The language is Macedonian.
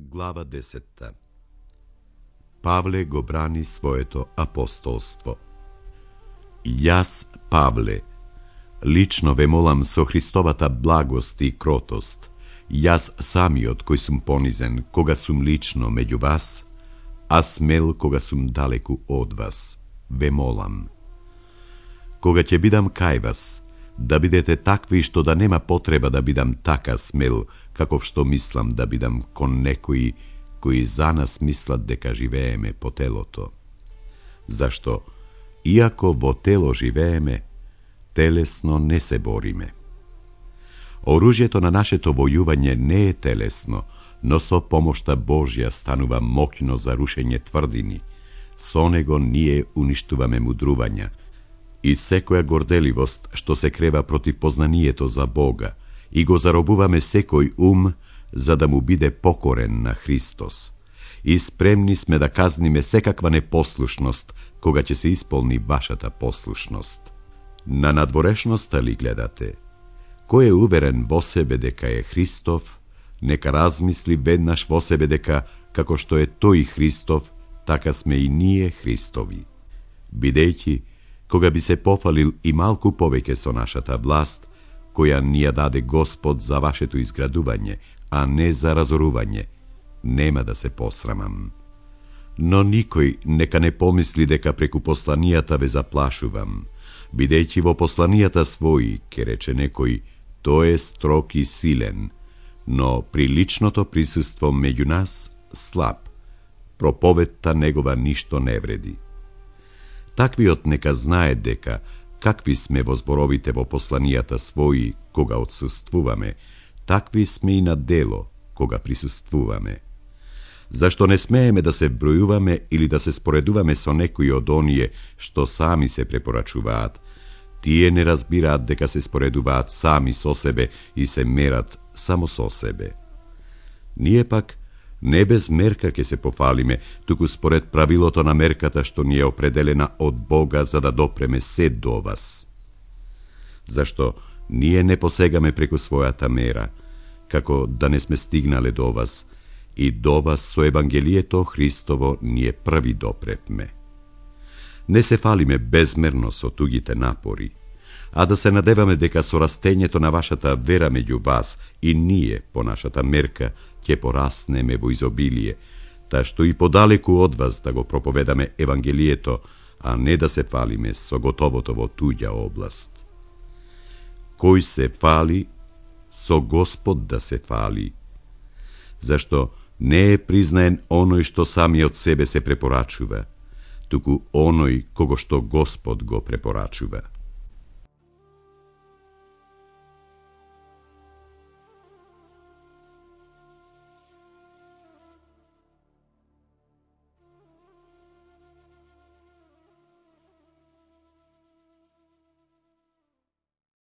Глава 10. Павле го брани своето апостолство. Јас, Павле, лично ве молам со Христовата благост и кротост, јас самиот кој сум понизен кога сум лично меѓу вас, а смел кога сум далеку од вас, ве молам. Кога ќе бидам кај вас, да бидете такви што да нема потреба да бидам така смел, каков што мислам да бидам кон некои кои за нас мислат дека живееме по телото. Зашто, иако во тело живееме, телесно не се бориме. Оружјето на нашето војување не е телесно, но со помошта Божја станува моќно за рушење тврдини. Со него ние уништуваме мудрувања и секоја горделивост што се крева против познанието за Бога, и го заробуваме секој ум за да му биде покорен на Христос. И спремни сме да казниме секаква непослушност кога ќе се исполни вашата послушност. На надворешноста ли гледате? Кој е уверен во себе дека е Христов, нека размисли веднаш во себе дека како што е тој Христов, така сме и ние Христови. Бидејќи, кога би се пофалил и малку повеќе со нашата власт, која ни ја даде Господ за вашето изградување, а не за разорување, нема да се посрамам. Но никој нека не помисли дека преку посланијата ве заплашувам, бидејќи во посланијата своји, ке рече некој, тој е строг и силен, но при личното присуство меѓу нас слаб, проповедта негова ништо не вреди. Таквиот нека знае дека, какви сме во зборовите во посланијата своји кога отсуствуваме, такви сме и на дело кога присуствуваме. Зашто не смееме да се бројуваме или да се споредуваме со некои од оние што сами се препорачуваат. Тие не разбираат дека се споредуваат сами со себе и се мерат само со себе. Ние пак не без мерка ќе се пофалиме, туку според правилото на мерката што ни е определена од Бога за да допреме се до вас. Зашто ние не посегаме преку својата мера, како да не сме стигнале до вас, и до вас со Евангелието Христово ние први допревме. Не се фалиме безмерно со тугите напори, а да се надеваме дека со растењето на вашата вера меѓу вас и ние по нашата мерка ќе пораснеме во изобилие, та што и подалеку од вас да го проповедаме Евангелието, а не да се фалиме со готовото во туѓа област. Кој се фали, со Господ да се фали, зашто не е признаен оној што самиот себе се препорачува, туку оној кого што Господ го препорачува.